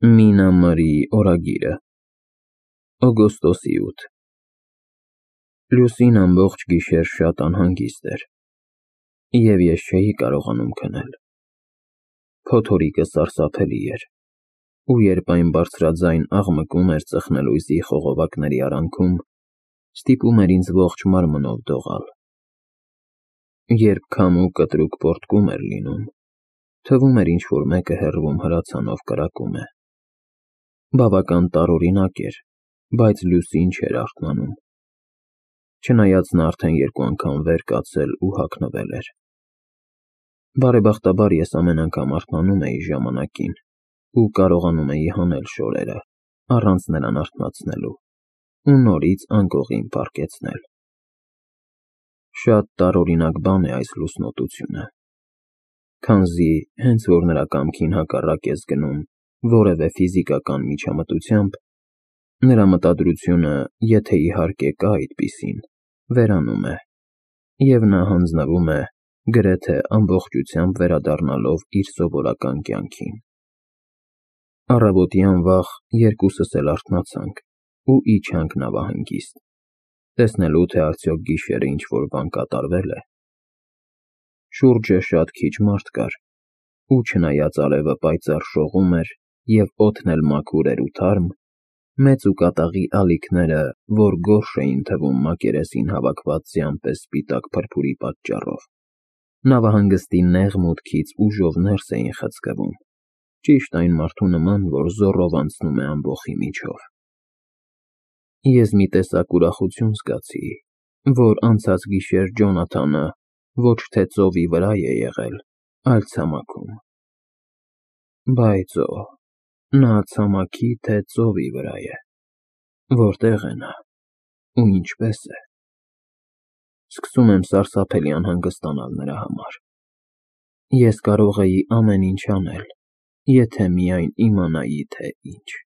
Մինամարի օրագիրը Օգոստոսի 8 Լուսին ամբողջ գիշեր շատ անհանգիստ էր, և ես չէի կարողանում քնել։ Փոթորիկը սարսափելի էր, ու երբ այն բարձրաձայն աղմկում էր ծխնելույզի խողովակների արանքում, ստիպում էր ինձ ողջ մարմնով դողալ։ Երբ քամու կտրուկ պոռթկում էր լինում, թվում էր ինչ-որ մեկը հեռվում հրացանով կրակում է։ Բավական տարօրինակ էր, բայց Լուսին չէր արթնանում, չնայած նա արդեն 2 անգամ վեր կացել ու հագնվել էր։ Բարեբախտաբար ես ամեն անգամ արթնանում էի ժամանակին ու կարողանում էի հանել շորերը, առանց նրան արթնացնելու, ու նորից անկողին պառկեցնել։ Շատ տարօրինակ բան է այս լուսնոտությունը, քանզի հենց որ նրա կամքին հակառակ ես գնում որևէ ֆիզիկական միջամտությամբ, նրա մտադրությունը, եթե իհարկե կա այդպիսին, վերանում է, և նա հանձնվում է, գրեթե ամբողջությամբ վերադառնալով իր սովորական կյանքին։ Առավոտյան վաղ երկուսս էլ արթնացանք ու իջանք նավահանգիստ, տեսնելու, թե արդյոք գիշերը ինչ-որ բան կատարվե՞լ է։ Շուրջը շատ քիչ մարդ կար, ու չնայած արևը պայծառ շողում էր և օդն էլ մաքուր էր ու թարմ, մեծ ու կատաղի ալիքները, որ գորշ էին թվում մակերեսին հավաքված ձյան պես սպիտակ փրփուրի պատճառով, նավահանգստի նեղ մուտքից ուժով ներս էին խցկվում, ճիշտ այն մարդու նման, որ զոռով անցնում է ամբոխի միջով։ Ես մի տեսակ ուրախություն զգացի, որ անցած գիշեր Ջոնաթանը ոչ թե ծովի վրա է եղել, այլ ցամաքում։ Բայց օհ, նա ցամաքի, թե ծովի վրա է, որտե՞ղ է նա, ու ինչպե՞ս է։ Սկսում եմ սարսափելի անհանգստանալ նրա համար։ Ես կարող էի ամեն ինչ անել, եթե միայն իմանայի, թե ինչ։